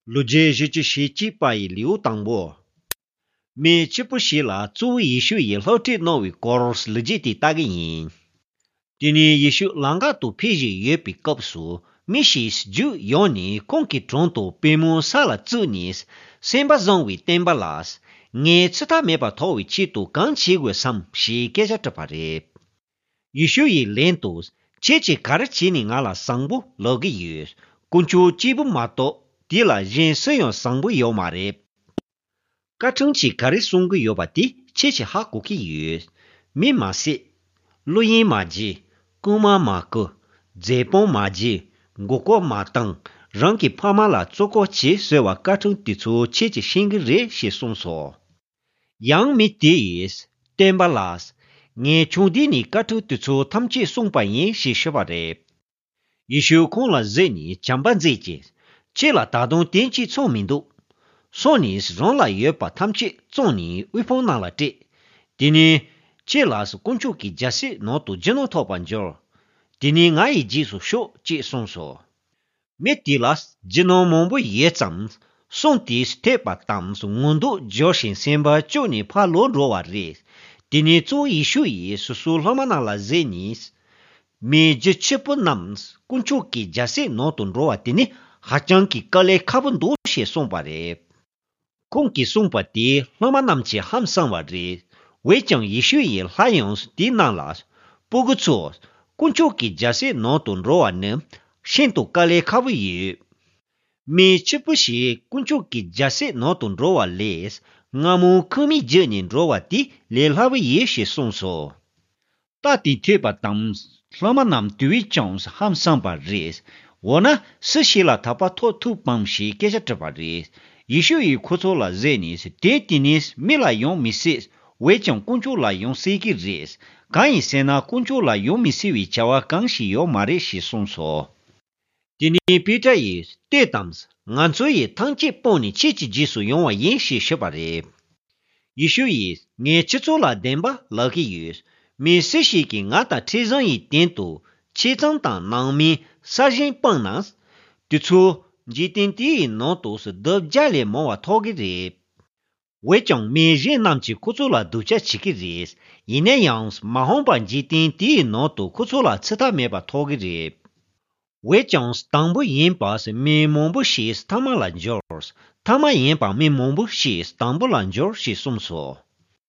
路街是只是几百流当波，没这不是啦，做艺术也老这那位高是路街的大个人。今年艺术啷个都偏见也比高数，没事就要你空气中度别么啥了做你，先把认为等不拉斯，我其他没把头为气度刚起过上是给下这把的。艺术也练度，这卡的几年阿拉上不老个月，公主基本嘛多，第了人生用上不要嘛的。噶整起卡的送个要把的，这哈古个月，没嘛些，录音嘛机。姑妈马哥，这帮马姐，我个马等，让给爸妈啦做个钱，所话各种地处切切新个人些送说。杨米第一，等巴拉斯，俺兄弟你各种地处他们去送半夜些说话的。一手空了这你讲半这件，这了打动电器聪明度，说你是让了也把他们去做你微风拿了这，第二。这拉是公主给家些拿都只能掏半角，第二俺一技术小接送说，没地拉是只能蒙不也脏，送地是太把当是温度叫先先把叫你怕落着瓦热，第二做艺术也是说他们那了热尼，没只吃不能公主给家些拿都着瓦第二还将给个来卡本多些送把的，公给送把的他们那些ham上瓦热。为将艺术也还用是低难了，不过错，公主给家些拿顿肉啊呢，先都家里卡不有，没吃不是公主给家些拿顿肉啊嘞，俺们可没这年肉啊的，连他们也是送说，大地推把当，他们那对将是ham上把热，我呢实现了他把托土帮是给下这把热，艺术也苦错了热呢是爹地呢没来用没事。为将公主来用谁个热？刚一些呢，公主来用米是为叫啊，刚是要马的是送说。第二比这也对当时，俺作业堂姐帮你切切技术用啊，演习学把的。一说也，俺去做了点吧，那个月，没实习给俺的提上一点多，切张当难面，啥人帮难？对错，一点点那都是到家里忙啊，讨个热。为将每人nam起苦做了都加起个热，一那样是马上把几点第那都苦做了，其他没把讨个热。为将是当不严把是没忙不写是他妈烂脚，他妈严把没忙不写是当不烂脚是送说。